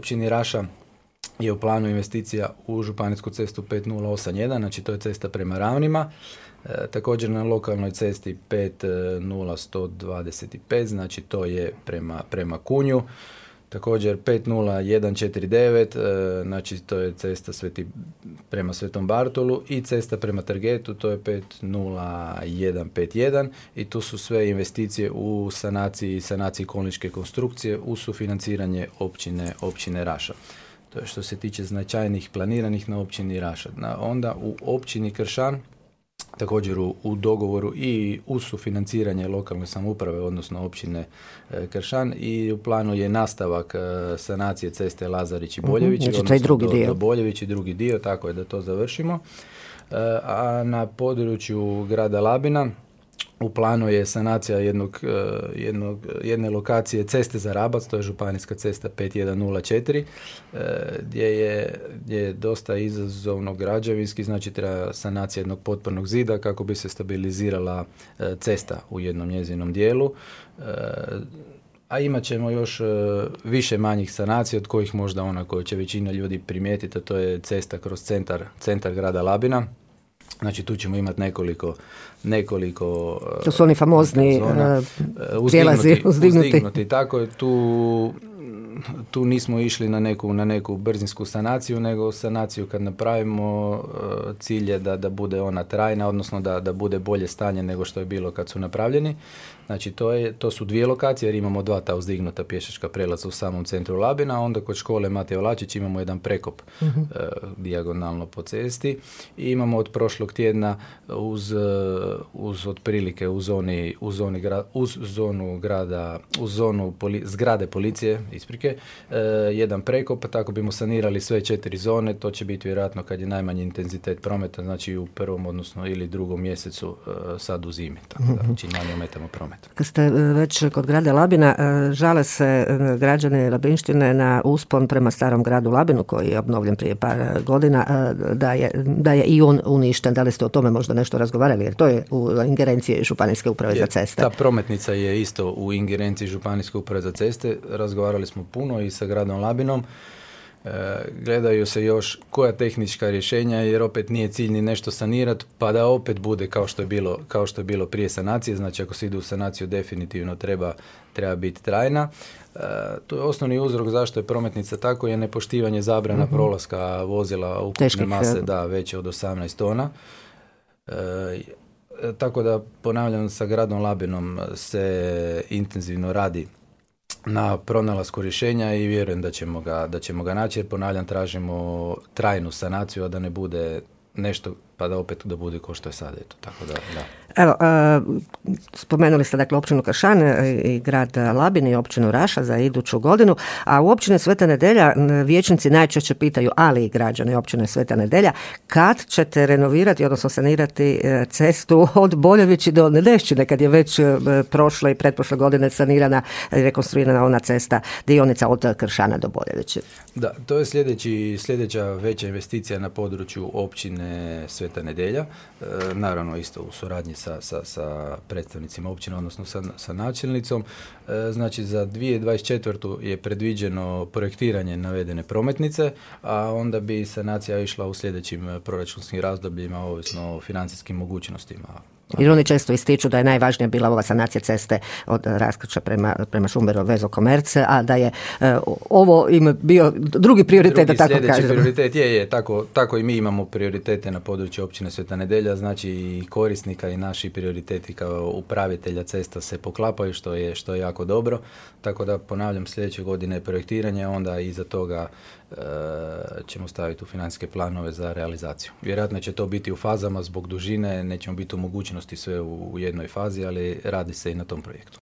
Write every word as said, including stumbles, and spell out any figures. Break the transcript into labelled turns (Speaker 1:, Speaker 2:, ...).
Speaker 1: općini Raša je u planu investicija u županijsku cestu pet nula osam jedan, znači to je cesta prema Ravnima. E, također na lokalnoj cesti pet nula sto dvadeset pet, znači to je prema, prema Kunju. Također pet nula jedan četiri devet, e, znači to je cesta Sveti, prema Svetom Bartolu i cesta prema Trgetu, to je pet nula jedan pet jedan i tu su sve investicije u sanaciji, sanaciji kolničke konstrukcije u sufinanciranje općine, općine Raša. To je što se tiče značajnih planiranih na općini Raša. Na, onda u općini Kršan, također u, u dogovoru i uz sufinanciranje lokalne samouprave, odnosno općine e, Kršan, i u planu je nastavak e, sanacije ceste Lazarić i Boljević,
Speaker 2: mm-hmm, znači drugi
Speaker 1: do,
Speaker 2: dio.
Speaker 1: do Boljević i drugi dio, tako je da to završimo. E, a na području grada Labina u planu je sanacija jednog, jednog, jedne lokacije ceste za Rabac, to je županijska cesta pet jedan nula četiri, gdje je, gdje je dosta izazovno građevinski, znači treba sanacija jednog potpornog zida kako bi se stabilizirala cesta u jednom njezinom dijelu. A imat ćemo još više manjih sanacija, od kojih možda ona koju će većina ljudi primijetiti, a to je cesta kroz centar, centar grada Labina. Znači tu ćemo imati nekoliko nekoliko
Speaker 2: to su oni famozni zona, uh, prijelazi uzdignuti.
Speaker 1: uzdignuti. Tako je, tu tu nismo išli na neku, na neku brzinsku sanaciju, nego sanaciju kad napravimo uh, cilj je da, da bude ona trajna, odnosno da, da bude bolje stanje nego što je bilo kad su napravljeni. Znači to, je, to su dvije lokacije jer imamo dva ta uzdignuta pješačka prelaza u samom centru Labina, a onda kod škole Matej Vlačić imamo jedan prekop uh-huh. uh, dijagonalno po cesti i imamo od prošlog tjedna uz, uh, uz otprilike u zoni, u zoni gra, uz zonu grada, uz zonu poli, zgrade policije, isprike, uh, jedan prekop, tako bimo sanirali sve četiri zone, to će biti vjerojatno kad je najmanji intenzitet prometa, znači u prvom odnosno ili drugom mjesecu uh, sad u zimi, tako da znači manje ometamo promet.
Speaker 2: Kad ste već kod grada Labina, žale se građani Labinštine na uspon prema starom gradu Labinu koji je obnovljen prije par godina, da je, da je i on uništen. Da li ste o tome možda nešto razgovarali? Jer to je u ingerenciji Županijske uprave za ceste.
Speaker 1: Ta prometnica je isto u ingerenciji Županijske uprave za ceste. Razgovarali smo puno i sa gradom Labinom. E, gledaju se još koja tehnička rješenja, jer opet nije cilj ni nešto sanirati pa da opet bude kao što je bilo, kao što je bilo prije sanacije. Znači ako se ide u sanaciju definitivno treba, treba biti trajna. E, to je osnovni uzrok zašto je prometnica tako, je nepoštivanje zabrana mm-hmm. prolaska vozila ukupne Teških, mase da veće od osamnaest tona. E, tako da ponavljam, sa gradom Labinom se intenzivno radi na pronalasku rješenja i vjerujem da ćemo ga, da ćemo ga naći, jer ponavljam, tražimo trajnu sanaciju, a da ne bude nešto pa da opet da bude kao što je sad. Eto, tako da, da.
Speaker 2: Evo, uh, spomenuli ste dakle općinu Kršan i grad Labin i općinu Raša za iduću godinu, a u općini Sveta Nedelja vijećnici najčešće pitaju, ali i građani općine Sveta Nedelja, kad ćete renovirati, odnosno sanirati cestu od Boljevići do Nedešćine, kad je već prošle i pretprošle godine sanirana i rekonstruirana ona cesta, dionica od Kršana do Boljevići.
Speaker 1: Da, to je sljedeći, sljedeća veća investicija na području općine Sveta Nedelja, e, naravno isto u suradnji sa, sa, sa predstavnicima općine, odnosno sa, sa načelnicom. E, znači za dvije tisuće dvadeset četvrtu je predviđeno projektiranje navedene prometnice, a onda bi sanacija išla u sljedećim proračunskim razdobljima, ovisno o financijskim mogućnostima.
Speaker 2: Jer oni često ističu da je najvažnija bila ova sanacija ceste od Raskrča prema, prema Šumberu Vezo Komerce, a da je e, ovo im bio drugi prioritet,
Speaker 1: drugi
Speaker 2: da tako kažem.
Speaker 1: Sljedeći prioritet je, je tako, tako i mi imamo prioritete na području općine Sveta Nedelja, znači i korisnika i naši prioriteti kao upravitelja cesta se poklapaju, što je, što je jako dobro. Tako da ponavljam, sljedeće godine je projektiranje, onda iza toga e, ćemo staviti u financijske planove za realizaciju. Vjerojatno će to biti u fazama zbog dužine, nećemo biti u mogućnosti sve u, u jednoj fazi, ali radi se i na tom projektu.